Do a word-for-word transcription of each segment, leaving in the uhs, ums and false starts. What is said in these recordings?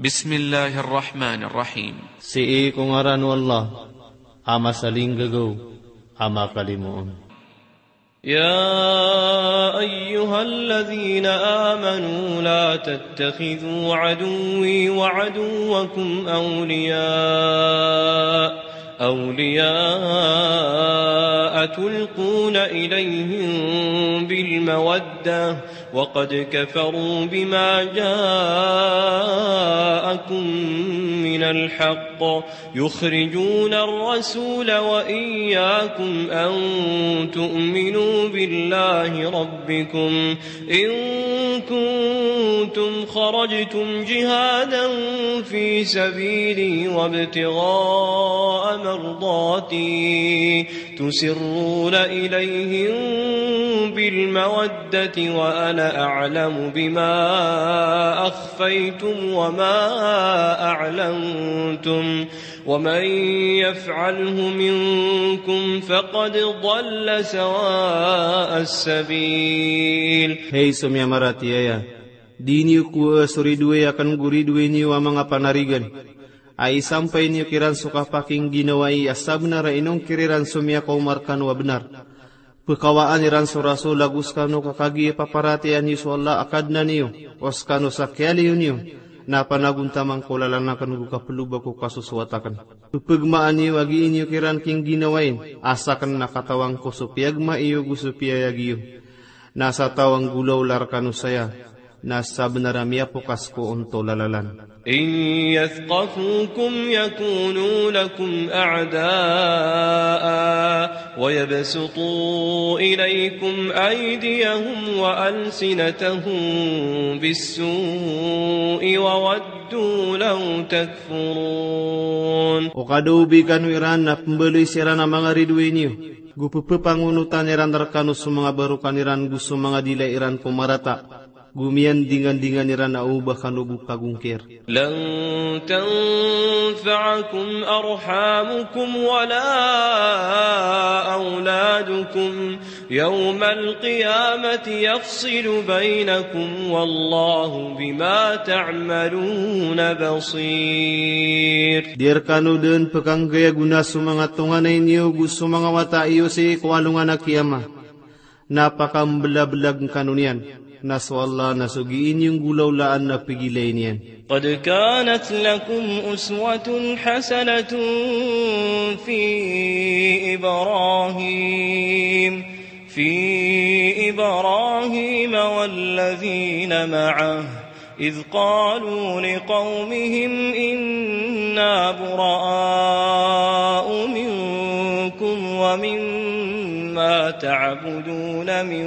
Bismillahir Rahmanir Rahim. Sii ko ngaran o Allah, a masalinggagaw, a makalimoon. يا أيها الذين آمنوا لا تتخذوا عدوي وعدوكم أولياء، أولياء تلقون إليهم بالمودة، وقد كفروا بما جاءكم من الحق، يخرجون الرسول وإياكم أن تؤمنوا بالله ربكم إن كنتم خرجتم جهادا في سبيلي وابتغاء مرضاتي تسرون إليهم بالمودة وأنا أعلم بما أخفيتم وما أعلنتم ومن يفعله منكم فقد ضل سواء السبيل. Hay so miyamaratiyaya, di niyo kowaa so ridoay akn go ridoay niyo a manga panarigan, a isampay niyo kiran so kapakingginawai a sabnar a inongkir iran so miyakaoma rkano a bnar. Pkawaan iran so Rasul ago skano ka kagiya paparatiyayaan iyo so Allah a Kadnan iyo, o skano sa kiyaliyo niyo, na panagontaman ko lalan akn go kaploba ko kasosowat akn. Pphagmaan iyo a gii niyo kiran kingginawain, a sakn na katawan ko so piyagma iyo go so piyayag iyo. Na sa taw a nggolawla rkano saya, na sabnar a miyapokas ko ontola lalan. إن يثقفوكم يكونوا لكم أعداء ويبسطوا إليكم أيديهم وألسنتهم بالسوء وودوا لو تكفرون. O ka da o bi kano iran na pmbaloy siran a manga ridoay niyo, go pphangonotan iran rkano so manga barokan iran go so manga dila iran ko marata. Go miyandingandingan iran a o ba kano bo pagongkir. لن تنفعكم أرحامكم ولا أولادكم يوم القيامة يفصل بينكم والله بما تعملون بصير. Di rkano dn pkanggayagoona so manga tonganay niyo go so manga wata iyo sii ko alongan a kiyama. Na pakamblablagn kano niyan, na so Allah na so gii niyo nggolawlaan na pgilay niyan. قد كانت لكم أسوة حسنة في إبراهيم، في إبراهيم والذين معه إذ قالوا لقومهم إنا براء منكم ومما تعبدون من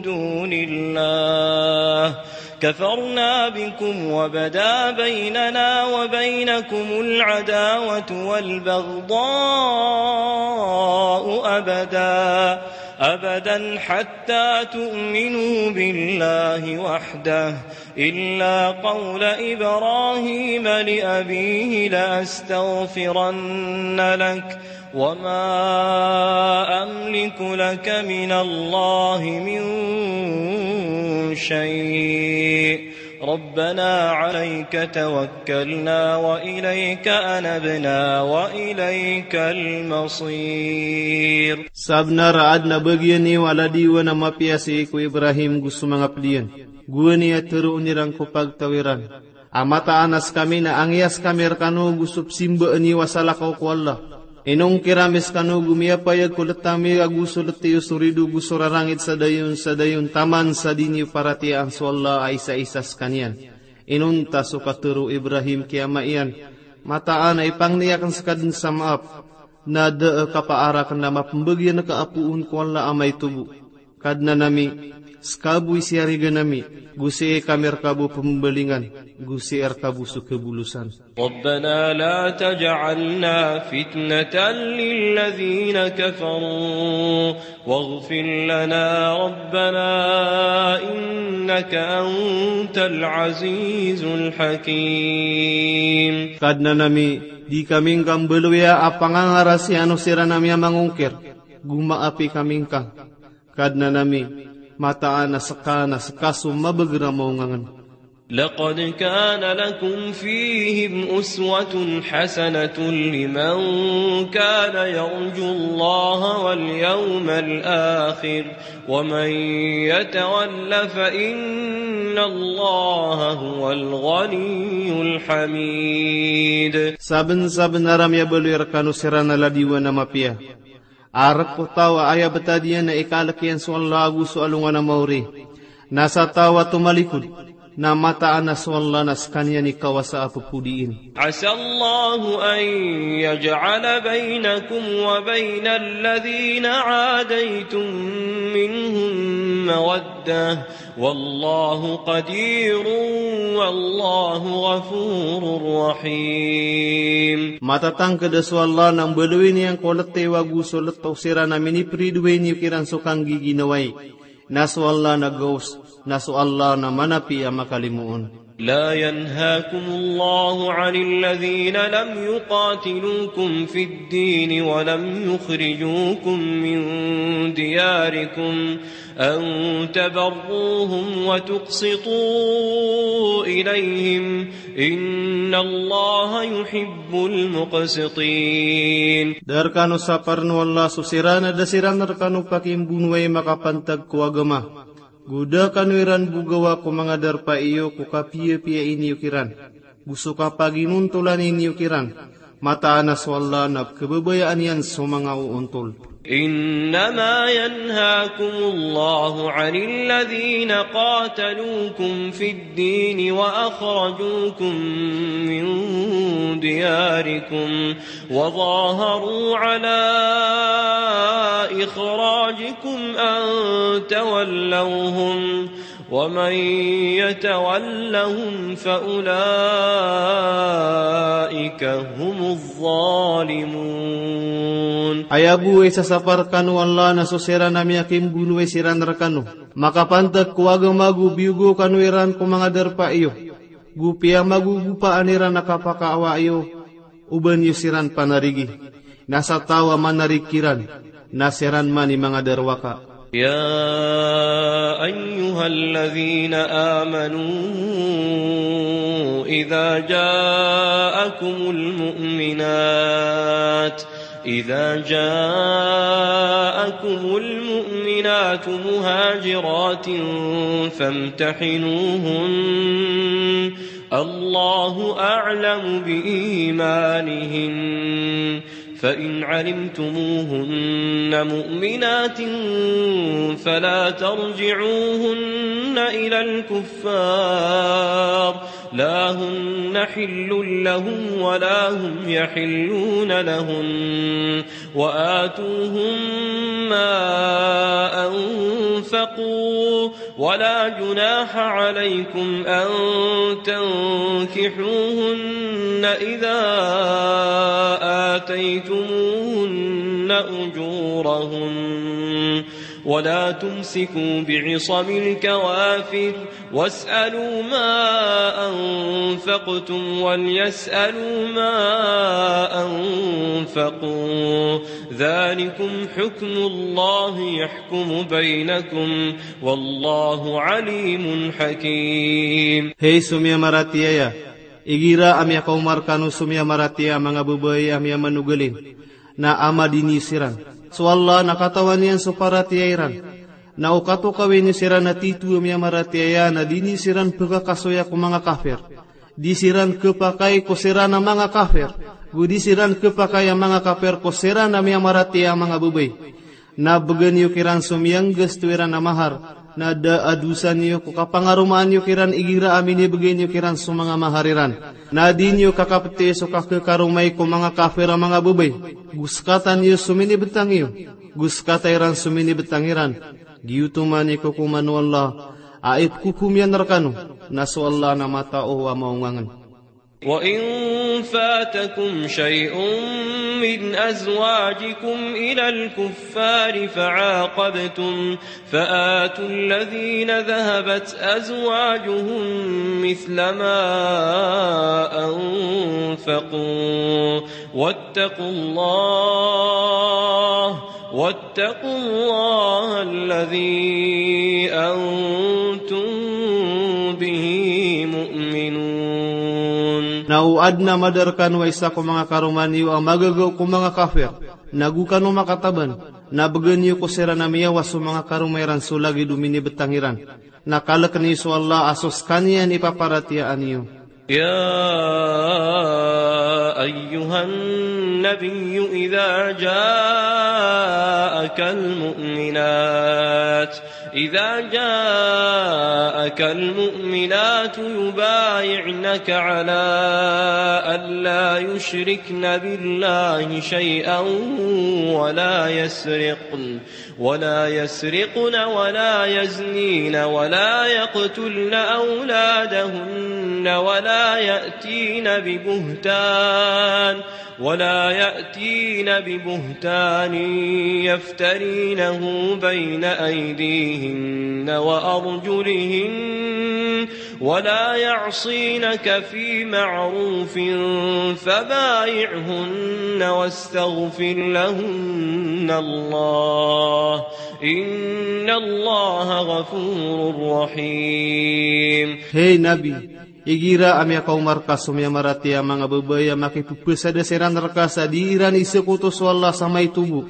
دون الله كفرنا بكم وبدا بيننا وبينكم العداوة والبغضاء أبدا، أبدا حتى تؤمنوا بالله وحده إلا قول إبراهيم لأبيه لأستغفرن لك وما أملك لك من الله من شيء ربنا عليك توكلنا وإليك أنبنا وإليك المصير. Sabnar a adn a bagian iyo a ladiwan a mapiya sii ko Ibrahim go so manga pd iyan. Gowani a tharoon iran ko pagtaw iran a mataan a skami na angiyas kami rkano go so psimbaan iyo a salakaw ko Allah. Inongkir ami skano go miyapayag ko lt ami ago so lt iyo so rido go so rarangit sa dayon sa dayon taman sa di niyo paratiyayaan so Allah a isaisa skaniyan. Inonta so katharo o Ibrahim ki ama iyan, mataan a ipangni akn ska dn sa maap, na da a kapaar akn a mapmbagian ka a poon ko Allah a maito bo. Kadnan ami, ska bo i siyarigan ami, go sii kami rka bo pmbalingan, go sii rka bo so kabolosan. ربنا لا تجعلنا فتنة للذين كفروا واغفر لنا ربنا إنك أنت العزيز الحكيم. Kadnan ami, di kami ngka mbaloya a pangangarasiyan o siran ami a mangongkir, go maapi kami ngka. Kadnan ami, mataan a ska na ska so mabagr a maongangn. لقد كان لكم فيهم أسوة حسنة لمن كان يرجو الله واليوم الآخر ومن يتول فإن الله هو الغني الحميد. Sabensabenar a miyabaloy rekano siran a ladiwan a mapiya a rek ko taw a aya betad iyan na ikalek iyan so Allah ago so alongan a maori. Na sa taw a tomalikod, na mataan a so Allah na sekaniyan i kawasa a pepodiin. عسى الله أن يجعل بينكم وبين الذين عاديتم منهم مودة والله قدير والله غفور رحيم. Matatangked a so Allah na mbaloyin iyan ko letiyo ago so letaw siran a miniperidoay niyo kiran so kanggiginawai. Na so Allah na gaos, na so Allah na manapi a makalimoon. لا ينهاكم الله عن الذين لم يقاتلوكم في الدين ولم يخرجوكم من دياركم أن تبروهم وتقسطوا إليهم إن الله يحب المقسطين. Da rekano saparen o Allah so siran a da siran rekano pakimbonowai makapantag ko agama. Go da kano iran bogawa ko manga darpa iyo ko kapiyapiyai niyo kiran, go so kapaginontolani niyo kiran. Mataan a so Allah na kebabayaan iyan so manga oontol. إنما ينهاكم الله عن الذين قاتلوكم في الدين وأخرجوكم من دياركم وظاهروا على إخراجكم أن تولوهم ومن يتولهم فأولئك هم الظالمون. Aya bo i sasapar rekano o Allah na so siran a miyakimbonowai siran rekano makapantag ko agama go biyogo kano iran ko manga darpa iyo, go piyamagogopaan iran a kapakaawa iyo, o ba niyo siran panarigi. Na sa taw a manarig kiran, na siran man i manga darowaka. يا أيها الذين آمنوا إذا جاءكم المؤمنات إذا جاءكم المؤمنات مهاجرات فامتحنوهن الله أعلم بإيمانهن فإن علمتموهن مؤمنات فلا ترجعوهن إلى الكفار لا هن حل لهم ولا هم يحلون لهن وآتوهم ما أنفقوا ولا جناح عليكم أن تنكحوهن إذا آتيتموهن أجورهن ولا تمسكوا بعصم الكوافر واسألوا ما أنفقتم وليسألوا ما أنفقوا ذلكم حكم الله يحكم بينكم والله عليم حكيم. Hay so miyamaratiyaya, igira a miyakaoma rekano so miyamaratiyaya a manga babay a miyamanogalin, na ama di niyo siran. So Allah na katawan iyan so paratiyaya iran. Na o katokawi niyo siran a tito a miyamaratiyaya na di niyo siran pekakasoya ko manga kafir. Di siran kepakay ko siran a manga kafir. Go di siran kepakay a manga kafir ko siran a miyamaratiyaya a manga babay. Na begen iyo kiran so miyanggasto iran a mahar. Na da a dosa niyo ko kapangaromaan iyo kiran igira a minibegay niyo kiran so manga mahar iran. Na di niyo kakapeti so kakekaromai ko manga kafir a manga babay. Go sekatan iyo so minibetang iyo. Go sekata iran so minibetang iran. Giyoto man i kokoman o Allah a ipkokom iyan rekano, na so Allah na matao a maongangen. وإن فاتكم شيء من أزواجكم إلى الكفار فعاقبتم فآتوا الذين ذهبت أزواجهم مثل ما أنفقوا واتقوا الله واتقوا الله الذي أنتم به Na o adn a mada rkano a isa ko manga karoma niyo a magagaw ko manga kafir, na go kano makataban, na bgan iyo ko siran a miyawa so manga karoma iran so lagid o minibtang iran. Na kalkn iyo so Allah a so skaniyan i paparatiyayaan iyo. يا أيها النبي إذا جاءك المؤمنات إذا جاءك المؤمنات يبايعنك على أن لا يشركن بالله شيئا ولا يسرقن ولا يسرقن ولا يزنين ولا يقتلن أولادهن ولا يأتين ببهتان ولا يأتين ببهتان يفترينه بين أيديهن وأرجلهن ولا يعصينك في معروف فبايعهن واستغفر لهن الله إن الله غفور رحيم. Hey Nabi, igira a miyakaoma rka so miyamaratiyaya a manga babay a makipphasada siran rka sa di iran isakoto so Allah sa maito bo,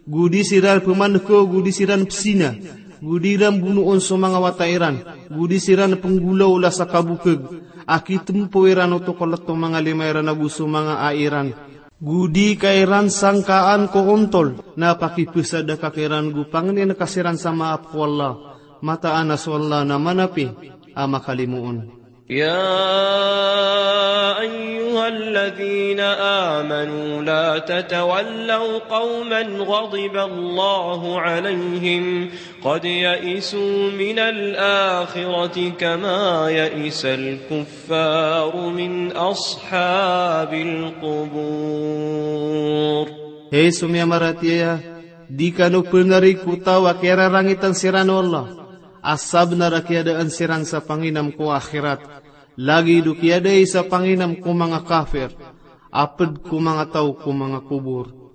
go di siran pmankaw, go di siran pzina, go di iran bonoon so manga wata iran, go di siran pnggolawla sa kabokg a kitmpo iran oto ko lto o manga lima iran ago so manga ai iran, go di ka iran sangkaan ko ontol, na pakiphasada ka kiran go pangnin ka siran sa maap ko Allah, mataan a so Allah na manapi a makalimoon. يا أيها الذين آمنوا لا تتولوا قوما غضب الله عليهم قد يئسوا من الآخرة كما يئس الكفار من أصحاب القبور. Hey so miyamaratiyaya, di kano pngarig ko taw a kiyararangitan siran o Allah a sabnar a kiyadaan siran sa panginam ko akhirat, lagid o kiyadai sa panginam ko manga kafir a pd ko manga taw ko manga kobor.